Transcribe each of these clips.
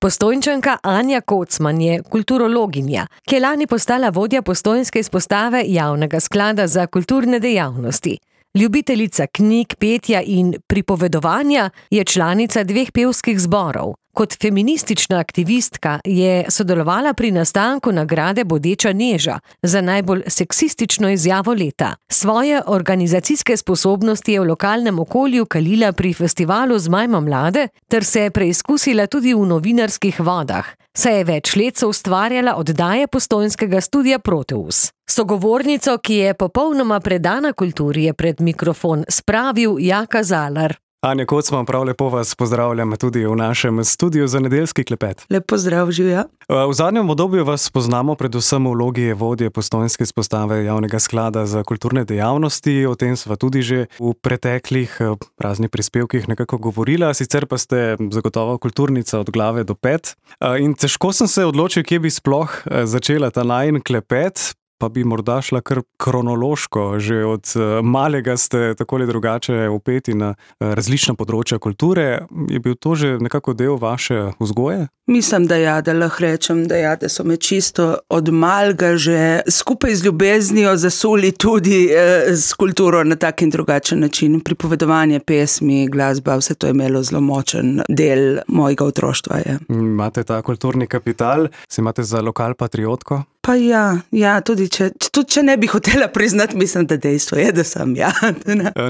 Postojnčanka Anja Kocman je kulturologinja, ki je lani postala vodja postojnske izpostave Javnega sklada za kulturne dejavnosti. Ljubiteljica knjig, petja in pripovedovanja, je članica 2 pevskih zborov. Kot feministična aktivistka je sodelovala pri nastanku nagrade Bodeča neža za najbolj seksistično izjavo leta. Svoje organizacijske sposobnosti je v lokalnem okolju kalila pri festivalu Zmajmo mlade ter se je preizkusila tudi v novinarskih vodah, saj je več let soustvarjala oddaje postojnskega studia Proteus. Sogovornico, ki je popolnoma predana kulturi, je pred mikrofon spravil Jaka Zalar. Anja Kocman, prav lepo vas pozdravljam tudi v našem studiu za nedeljski klepet. Lep pozdrav, živja. V zadnjem obdobju vas poznamo predvsem v vlogi vodje postojnske izpostave Javnega sklada za kulturne dejavnosti. O tem sva tudi že v preteklih raznih prispevkih nekako govorila, sicer pa ste zagotovo kulturnica od glave do pet. In težko sem se odločil, kje bi sploh začela ta najin klepet. Pa bi morda šla kar kronološko. Že od malega ste tako ali drugače vpeti na različna področja kulture. Je bil to že nekako del vaše vzgoje? Mislim, da ja, da lahko rečem, da so me čisto od malega že skupaj z ljubeznijo zasuli tudi s kulturo na tak in drugačen način. Pripovedovanje, pesmi, glasba, vse to je imelo zelo močen del mojega otroštva. Je. Imate ta kulturni kapital, se imate za lokal patriotko? Pa ja, tudi če ne bi hotela priznati, mislim, da dejstvo je, da sem ja.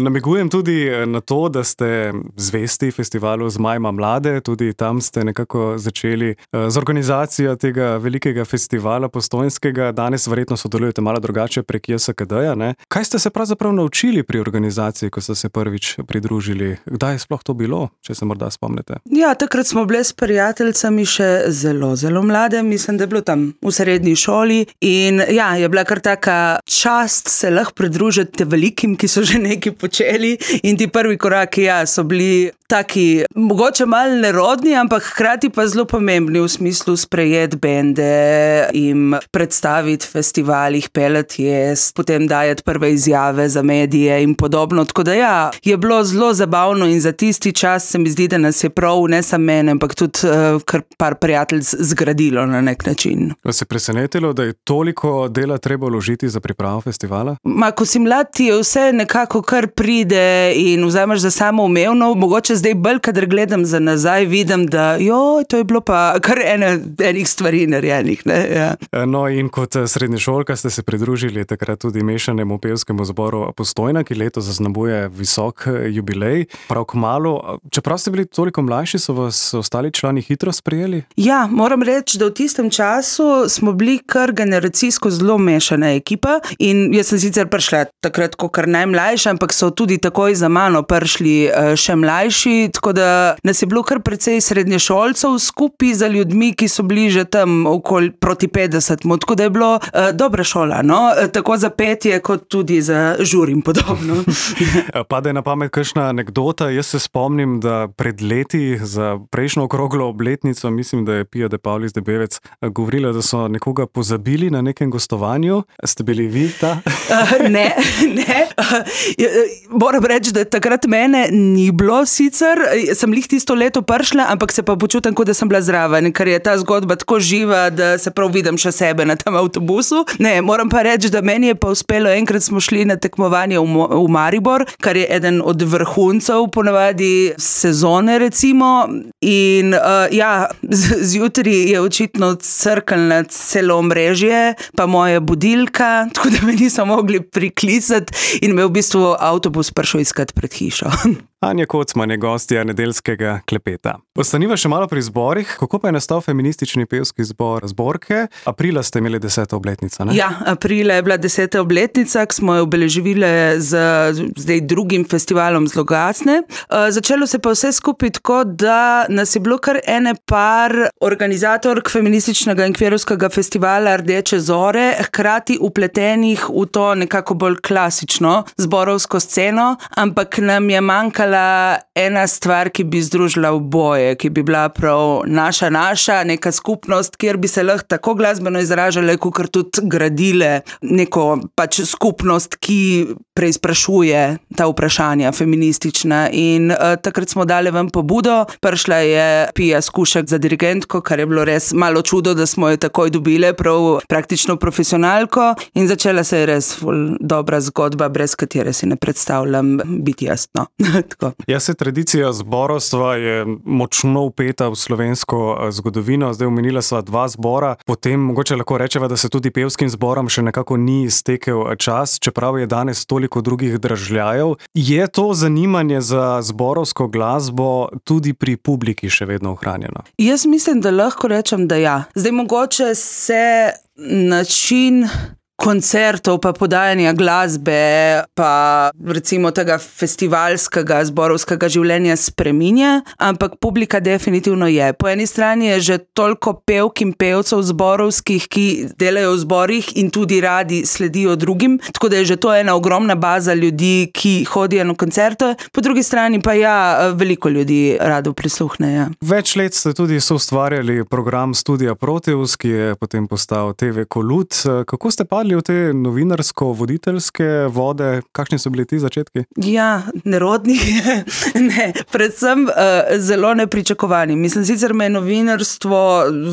Namigujem tudi na to, da ste zvesti festivalu Zmajmo mlade, tudi tam ste nekako začeli z organizacijo tega velikega festivala postojnskega. Danes verjetno sodelujete malo drugače prek JSKD-ja, ne? Kaj ste se pravzaprav naučili pri organizaciji, ko ste se prvič pridružili? Kdaj je sploh to bilo, če se morda spomnite? Ja, takrat smo bile s prijateljicami še zelo, zelo mlade. Mislim, da je bilo tam v srednji šoli. In ja, je bila kar taka čast se lahko pridružiti velikim, ki so že nekaj počeli, in ti prvi koraki, so bili taki, mogoče malo nerodni, ampak hkrati pa zelo pomembni v smislu sprejeti bende, jim predstaviti festivalih, pelati jesti, potem dajati prve izjave za medije in podobno. Tako da je bilo zelo zabavno in za tisti čas se mi zdi, da nas je prav, ne samo mene, ampak tudi kar par prijateljic zgradilo na nek način. Vas je presenetilo, da je toliko dela treba vložiti za pripravo festivala? Ko si mlad, ti je vse nekako kar pride in vzameš za samoumevno. Mogoče zdaj bolj, kadar gledam za nazaj, vidim, da to je bilo pa kar enih stvari narejenih. Ja. No, in kot srednješolka ste se pridružili takrat tudi mešanemu pevskemu zboru Postojna, ki letos zaznamuje visok jubilej. Prav kmalu, čeprav ste bili toliko mlajši, so vas ostali člani hitro sprejeli? Ja, moram reči, da v tistem času smo bili kar generacijsko zelo mešana ekipa in jaz sem sicer prišla takrat kar najmlajša, ampak so tudi takoj za mano prišli še mlajši, tako da nas je bilo kar precej srednješolcev skupaj za ljudmi, ki so bili že tam okoli proti 50, tako da je bilo dobra šola, no? Tako za petje kot tudi za žur in podobno. Pade na pamet kakšna anekdota. Jaz se spomnim, da pred leti za prejšnjo okroglo obletnico, mislim, da je Pia de Paulis Debevec govorila, da so nekoga pozabili na nekem gostovanju. Ste bili vi ta? Ne. Moram reči, da takrat mene ni bilo sicer. Sem lih tisto leto prišla, ampak se pa počutim, kot da sem bila zraven, ker je ta zgodba tako živa, da se prav vidim še sebe na tem avtobusu. Ne, moram pa reči, da meni je pa uspelo, enkrat smo šli na tekmovanje v Maribor, kar je eden od vrhuncev ponavadi sezone recimo. In zjutraj je očitno crknila celo omrežje, pa moja budilka, tako da me niso mogli priklicati in me v bistvu avtobus prišel iskat pred hišo. Anja Kocman je gostja nedeljskega klepeta. Ostaniva še malo pri zborih. Kako pa je nastal feministični pevski zbor Zborke? Aprila ste imeli 10. obletnico, ne? Ja, aprila je bila 10. obletnica, ki smo jo obeleževili z zdaj drugim festivalom Zloglasne. Začelo se pa vse skupaj tako, da nas je bilo kar ene par organizatork feminističnega in kverovskega festivala Rdeče zore, hkrati upletenih v to nekako bolj klasično zborovsko sceno, ampak nam je manjkala manjkala ena stvar, ki bi združila oboje, ki bi bila prav naša, neka skupnost, kjer bi se lahko tako glasbeno izražale, kakor tudi gradile neko pač skupnost, ki preizprašuje ta vprašanja feministična. In takrat smo dali ven pobudo, prišla je Pija Skušek za dirigentko, kar je bilo res malo čudo, da smo jo takoj dobile, prav praktično profesionalko, in začela se je res dobra zgodba, brez katere si ne predstavljam biti jasno. Ja, se tradicija zborovstva je močno vpeta v slovensko zgodovino, zdaj omenila sva 2 zbora, potem mogoče lahko rečeva, da se tudi pevskim zborom še nekako ni iztekel čas, čeprav je danes toliko drugih dražljajev. Je to zanimanje za zborovsko glasbo tudi pri publiki še vedno ohranjeno? Jaz mislim, da lahko rečem, da ja. Zdaj mogoče se način koncertov pa podajanja glasbe pa recimo tega festivalskega, zborovskega življenja spreminja, ampak publika definitivno je. Po eni strani je že toliko pevk in pevcev zborovskih, ki delajo v zborih in tudi radi sledijo drugim, tako da je že to ena ogromna baza ljudi, ki hodijo na koncerte. Po drugi strani pa ja, veliko ljudi rado prisluhne. Ja. Več let ste tudi soustvarjali program Studia Proteus, ki je potem postal TV Kolut. Kako ste padli v te novinarsko-voditeljske vode? Kakšni so bili ti začetki? Ja, nerodni. Ne, predvsem zelo nepričakovani. Mislim, sicer me je novinarstvo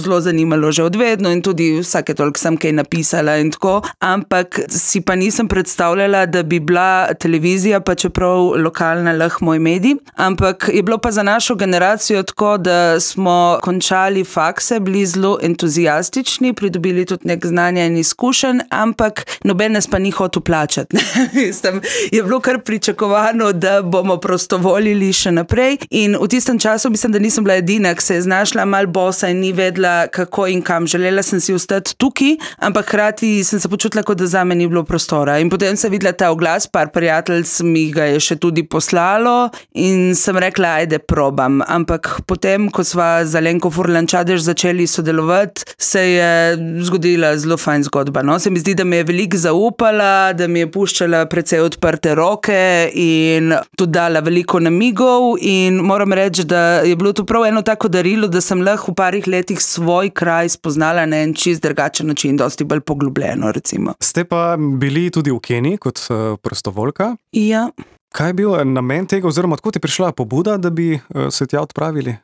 zelo zanimalo že odvedno in tudi vsake toliko sem kaj napisala in tako, ampak si pa nisem predstavljala, da bi bila televizija, pa čeprav lokalna, lahko moj medij, ampak je bilo pa za našo generacijo tako, da smo končali fakse, bili zelo entuzijastični, pridobili tudi nek znanja in izkušenj, ampak noben nas pa ni hotel plačati. Mislim, je bilo kar pričakovano, da bomo prostovoljili še naprej, in v tistem času mislim, da nisem bila edina, ki se je znašla mal bosa in ni vedela, kako in kam. Želela sem si ostati tukaj, ampak hkrati sem se počutila, kot da zame ni bilo prostora. In potem sem videla ta oglas, par prijateljic mi ga je še tudi poslalo in sem rekla, ajde, probam. Ampak potem, ko sva z Alenko Furlan-Čadež začeli sodelovati, se je zgodila zelo fajn zgodba. No? Se mi zdi, da mi je veliko zaupala, da mi je puščala precej odprte roke in tudi dala veliko namigov, in moram reči, da je bilo to prav eno tako darilo, da sem lahko v parih letih svoj kraj spoznala na en čist drugačen način, dosti bolj poglobljeno, recimo. Ste pa bili tudi v Keniji kot prostovoljka? Ja. Kaj je bil namen tega, oziroma odkot je prišla pobuda, da bi se tja odpravili?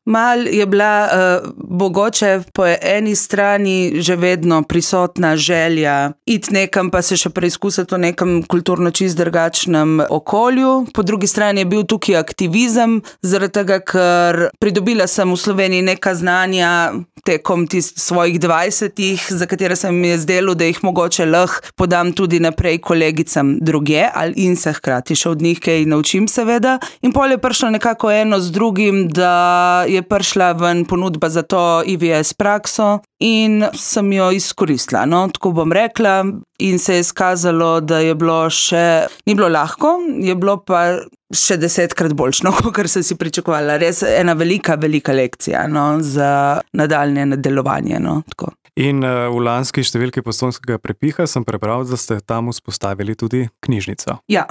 Mal je bila mogoče po eni strani že vedno prisotna želja iti nekam, pa se še preizkusiti v nekem kulturno čist drugačnem okolju. Po drugi strani je bil tukaj aktivizem, zaradi tega, ker pridobila sem v Sloveniji neka znanja tekom svojih 20-ih, za katere sem mi je zdelo, da jih mogoče lahko podam tudi naprej kolegicam drugje, in se hkrati še od njih kaj naučim, seveda. In pol je prišlo nekako eno z drugim, da je prišla ven ponudba za to IVS prakso in sem jo izkoristila, no, tako bom rekla, in se je skazalo, da je bilo ni bilo lahko, je bilo pa še 10-krat boljšno, kot sem si pričakovala. Res ena velika lekcija, no, za nadaljnje nadaljevanje, no, tako. In v lanski številki Postojnskega prepiha sem prebral, da ste tam vzpostavili tudi knjižnico. Ja,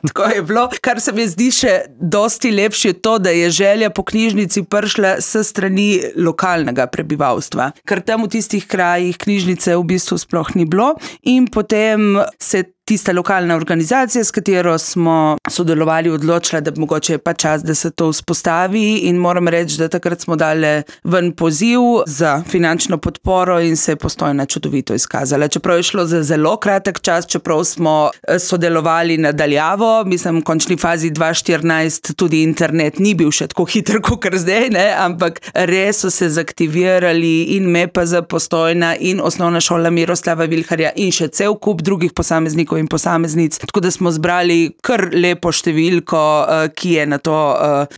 tako je bilo. Kar se mi zdi še dosti lepše to, da je želja po knjižnici prišla s strani lokalnega prebivalstva. Ker tam v tistih krajih knjižnice v bistvu sploh ni bilo, in potem se tista lokalna organizacija, s katero smo sodelovali, odločila, da mogoče je pa čas, da se to vzpostavi, in moram reči, da takrat smo dali ven poziv za finančno podporo in se je Postojna čudovito izkazala. Čeprav je šlo za zelo kratek čas, čeprav smo sodelovali nadaljavo, mislim, v končni fazi 2014 tudi internet ni bil še tako hiter, kot zdaj, ne, ampak res so se zaktivirali in MEPZ Postojna in Osnovna šola Miroslava Vilharja in še cel kup drugih posameznikov in posameznic, tako da smo zbrali kar lepo številko, ki je na to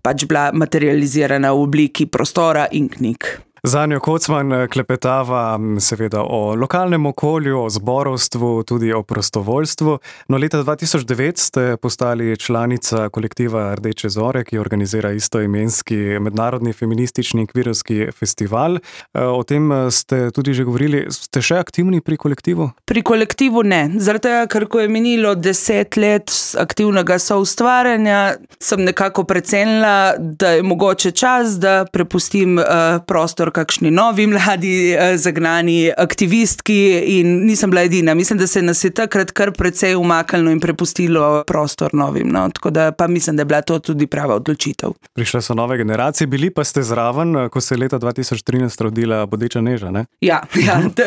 pač bila materializirana v obliki prostora in knjig. Z Anjo Kocman klepetava seveda o lokalnem okolju, o zborovstvu, tudi o prostovoljstvu. No, leta 2009 ste postali članica kolektiva Rdeče zore, ki organizira istoimenski mednarodni feministični in kvirovski festival. O tem ste tudi že govorili. Ste še aktivni pri kolektivu? Pri kolektivu ne. Zaradi tega, ker ko je minilo 10 let aktivnega soustvarjanja, sem nekako precenila, da je mogoče čas, da prepustim prostor kakšni novi mladi zagnani aktivistki in nisem bila edina. Mislim, da se nas je takrat kar precej umaknilo in prepustilo prostor novim. No? Tako da pa mislim, da je bila to tudi prava odločitev. Prišle so nove generacije, bili pa ste zraven, ko se je leta 2013 rodila Bodeča Neža, ne? Ja,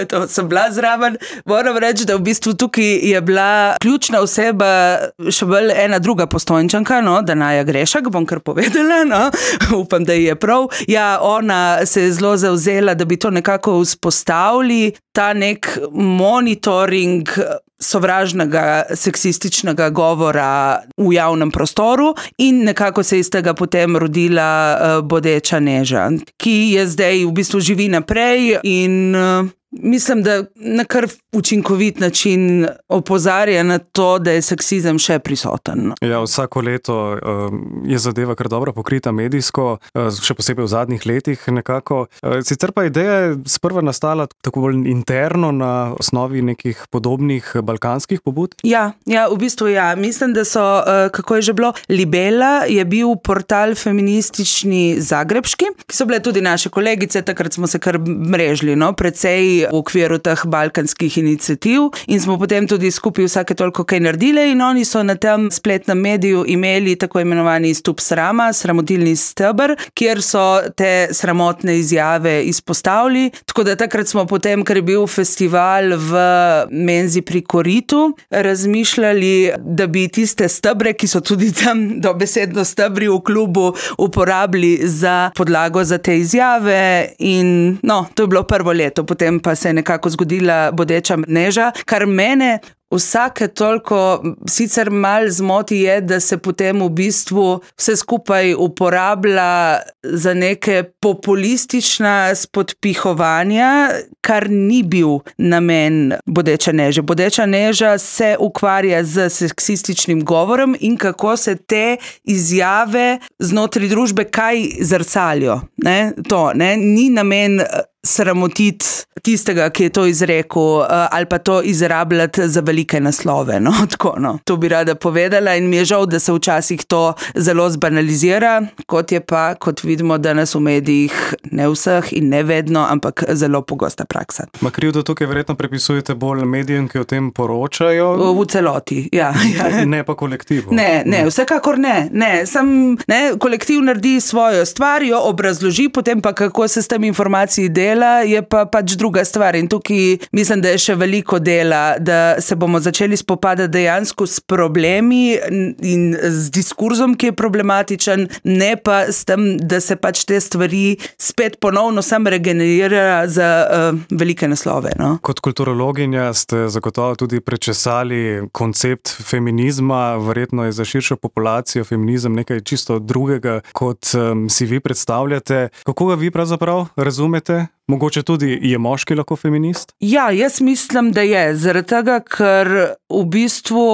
to sem bila zraven. Moram reči, da v bistvu tukaj je bila ključna oseba še bolj ena druga Postojnčanka, no, Danaja Grešak, bom kar povedala, no, upam, da je prav. Ja, ona se je zelo zavzela, da bi to nekako vzpostavili, ta nek monitoring sovražnega, seksističnega govora v javnem prostoru in nekako se je iz tega potem rodila Bodeča Neža, ki je zdaj v bistvu živi naprej in mislim, da na kar učinkovit način opozarja na to, da je seksizem še prisoten. Ja, vsako leto je zadeva kar dobro pokrita medijsko, še posebej v zadnjih letih nekako. Sicer pa ideja je sprva nastala tako bolj interno na osnovi nekih podobnih balkanskih pobud? Ja, v bistvu ja. Mislim, da so, kako je že bilo, Libela je bil portal feministični zagrebški, ki so bile tudi naše kolegice, takrat smo se kar mrežili, no, precej v okviru teh balkanskih iniciativ in smo potem tudi skupaj vsake toliko kaj naredile in oni so na tem spletnem mediju imeli tako imenovani stup srama, sramotilni steber, kjer so te sramotne izjave izpostavili. Tako da takrat smo potem, ker je bil festival v menzi pri Koritu, razmišljali, da bi tiste stebre, ki so tudi tam dobesedno stebri v klubu, uporabili za podlago za te izjave in no, to je bilo prvo leto, potem pa se je nekako zgodila Bodeča Neža, kar mene vsake toliko sicer malo zmoti je, da se potem v bistvu vse skupaj uporablja za neke populistična spodpihovanja, kar ni bil namen Bodeče Neže. Bodeča Neža se ukvarja z seksističnim govorom in kako se te izjave znotraj družbe kaj zrcalijo. Ni namen sramotiti tistega, ki je to izrekel, ali pa to izrabljati za velike naslove. To bi rada povedala in mi je žal, da se včasih to zelo zbanalizira, kot vidimo danes v medijih, ne vseh in ne vedno, ampak zelo pogosta praksa. Krivdo tukaj verjetno prepisujete bolj medijem, ki o tem poročajo? V celoti, ja. Ne pa kolektivu? Ne, vsekakor ne. Kolektiv naredi svojo stvar, jo obrazloži, potem pa kako se s tem informacij dela, je pa pač druga stvar. In tukaj mislim, da je še veliko dela, da se bomo začeli spopadati dejansko s problemi in z diskurzom, ki je problematičen, ne pa s tem, da se pač te stvari spet ponovno sam regenerira za velike naslove. No? Kot kulturologinja ste zagotovo tudi prečesali koncept feminizma, verjetno je za širšo populacijo feminizem nekaj čisto drugega, kot si vi predstavljate. Kako ga vi pravzaprav razumete? Mogoče tudi je moški lahko feminist? Ja, jaz mislim, da je. Zaradi tega, ker v bistvu,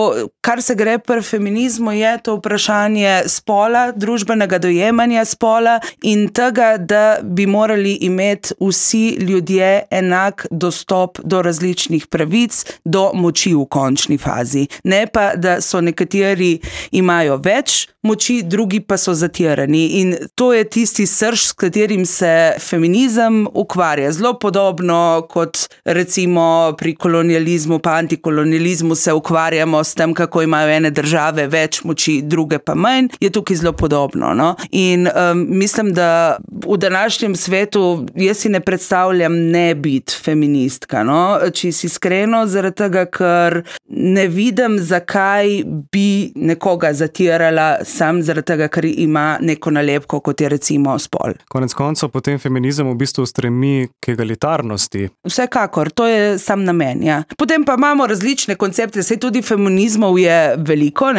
kar se gre pri feminizmu, je to vprašanje spola, družbenega dojemanja spola in tega, da bi morali imeti vsi ljudje enak dostop do različnih pravic, do moči v končni fazi. Ne pa, da so nekateri imajo več moči, drugi pa so zatirani. In to je tisti srž, s katerim se feminizem ukvarja. Zelo podobno kot recimo pri kolonializmu pa antikolonializmu se ukvarjamo s tem, kako imajo ene države več moči, druge pa manj, je tukaj zelo podobno. No? In mislim, da v današnjem svetu jaz si ne predstavljam ne biti feministka, no? Čisto iskreno, zaradi tega, ker ne vidim, zakaj bi nekoga zatirala sam zaradi tega, ker ima neko nalepko, kot je recimo spol. Konec koncev potem feminizem v bistvu stremi k egalitarnosti. Vsekakor, to je sam namen, ja. Potem pa imamo različne koncepte, saj tudi feminizmov je veliko,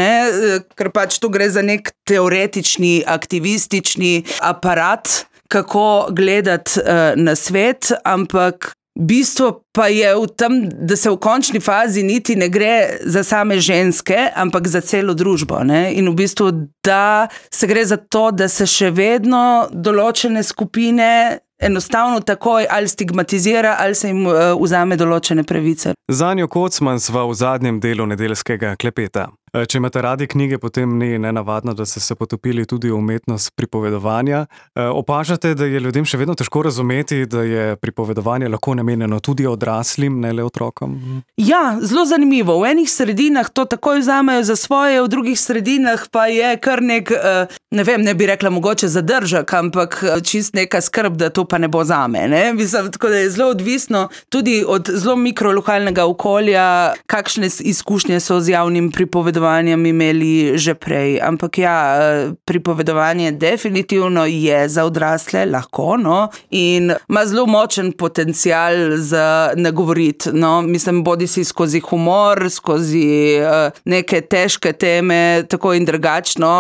ker pač tu gre za nek teoretični, aktivistični aparat, kako gledati na svet, ampak bistvo pa je v tem, da se v končni fazi niti ne gre za same ženske, ampak za celo družbo. Ne? In v bistvu, da se gre za to, da se še vedno določene skupine enostavno takoj ali stigmatizira, ali se jim vzame določene pravice. Z Anjo Kocman sva v zadnjem delu nedeljskega klepeta. Če imate radi knjige, potem ni nenavadno, da ste se potopili tudi v umetnost pripovedovanja. Opažate, da je ljudem še vedno težko razumeti, da je pripovedovanje lahko namenjeno tudi odraslim, ne le otrokom? Ja, zelo zanimivo. V enih sredinah to takoj vzamejo za svoje, v drugih sredinah pa je kar nek, ne bi rekla mogoče zadržek, ampak čist neka skrb, da to pa ne bo zame. Ne? Mislim, tako da je zelo odvisno tudi od zelo mikrolokalnega okolja, kakšne izkušnje so z javnim pripovedovanjem imeli že prej. Ampak ja, pripovedovanje definitivno je za odrasle lahko, no, in ima zelo močen potencial za nagovoriti, no, mislim, bodi si skozi humor, skozi neke težke teme, tako in drugačno,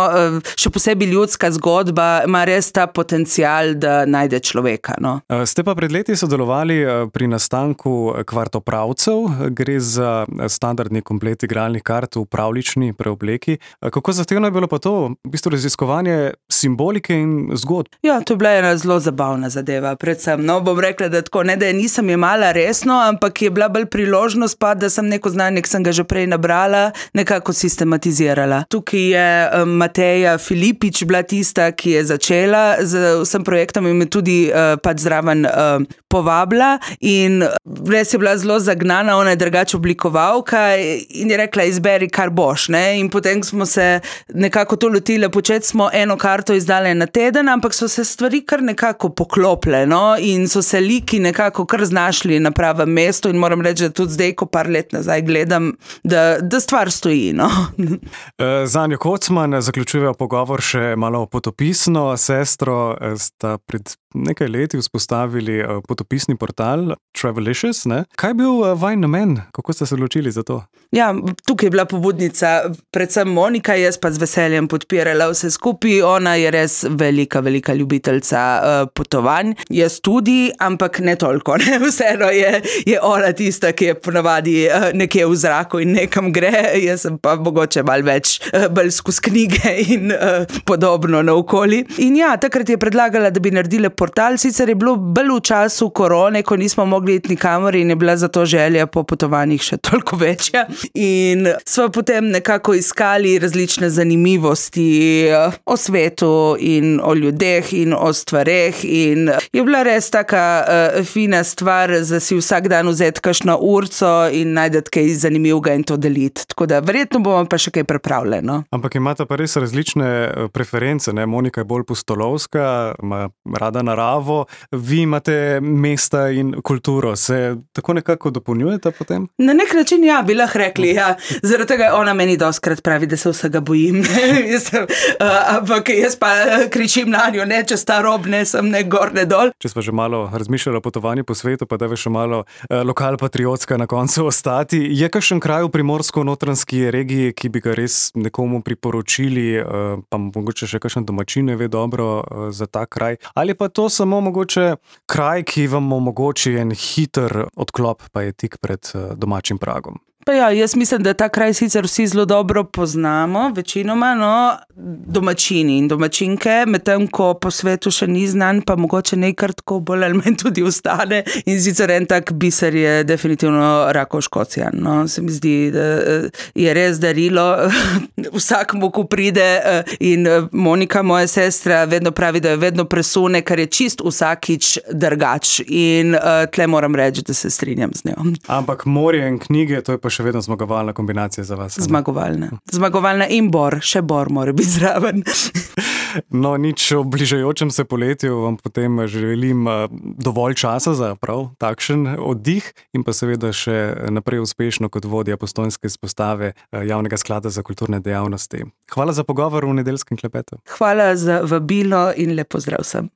še posebej ljudska zgodba ima res ta potencial, da najde človeka, no. Ste pa pred leti sodelovali pri nastanku Kvartopravcev, gre za standardni komplet igralnih kart v pravlični preobleki. Kako zahtevno je bilo pa to, v bistvu raziskovanje simbolike in zgodb? Ja, to je bila ena zelo zabavna zadeva, predvsem. No, bom rekla, da tako, ne da je nisem jemala resno, ampak je bila bolj priložnost pa, da sem neko znanje, ki sem ga že prej nabrala, nekako sistematizirala. Tukaj je Mateja Filipič bila tista, ki je začela z vsem projektom in me tudi pač zraven povabila in res je bila zelo zagnana, ona je drugače oblikovalka in je rekla, izberi kar boš, ne, in potem smo se nekako to lotile, početi smo eno karto izdale na teden, ampak so se stvari kar nekako poklopile, no, in so se liki nekako kar znašli na pravem mestu in moram reči, da tudi zdaj, ko par let nazaj gledam, da stvar stoji, no. Z Anjo Kocman zaključujeva pogovor še malo potopisno. Sestro sta pred nekaj leti vzpostavili potopisni portal Travelicious, ne? Kaj je bil vaš namen? Kako ste se odločili za to? Ja, tukaj je bila pobudnica predvsem Monika, jaz pa z veseljem podpirala vse skupaj. Ona je res velika ljubiteljca potovanj. Jaz tudi, ampak ne toliko, ne? Vseeno je ona tista, ki je ponavadi nekje v zraku in nekam gre. Jaz sem pa mogoče malo več bolj skozi knjige in podobno naokoli. In ja, takrat je predlagala, da bi naredila portal, sicer je bilo bolj v času korone, ko nismo mogli iti nikamor in je bila zato želja po potovanjih še toliko večja. In sva potem nekako iskali različne zanimivosti o svetu in o ljudeh in o stvareh in je bila res taka fina stvar, da si vsak dan vzeti kakšno urco in najdeti kaj zanimivega in to deliti. Tako da verjetno bomo pa še kaj pripravljali, no. Ampak imate pa res različne preference, ne? Monika je bolj pustolovska, ima rada naravo, vi imate mesta in kulturo. Se tako nekako dopolnjujete potem? Na nek način ja, bi lahko rekli, ja. Zaradi tega ona meni dostkrat pravi, da se vsega bojim. Ampak jaz pa kričim na njo, ne čez ta rob, ne sem ne gor, ne dol. Če sva že malo razmišljala o potovanju po svetu, pa da je še malo lokalpatriotska na koncu ostati. Je kakšen kraj v primorsko-notranjski regiji, ki bi ga res nekomu priporočili, pa mogoče še kakšen domačin ve dobro za ta kraj? Ali pa to samo mogoče kraj, ki vam omogoči en hiter odklop, pa je tik pred domačim pragom? Pa ja, jaz mislim, da ta kraj sicer vsi zelo dobro poznamo, večinoma, no, domačini in domačinke, medtem ko po svetu še ni znan, pa mogoče nekaj tako bolj ali manj tudi ostane. In sicer en tak biser je definitivno Rakov-Škocjan, no, se mi zdi, da je res darilo vsakmu, ko pride in Monika, moja sestra, vedno pravi, da jo vedno presune, kar je čist vsakič drugač in tle moram reči, da se strinjam z njo. Ampak morje in knjige, to je pa še vedno zmagovalna kombinacija za vas. Zmagovalna in bor, še bor mora biti zraven. No, nič o bližajočem se poletju, vam potem želim dovolj časa za prav takšen oddih in pa seveda še naprej uspešno kot vodja postojnske izpostave Javnega sklada za kulturne dejavnosti. Hvala za pogovor v nedeljskem klepetu. Hvala za vabilo in lep pozdrav vsem.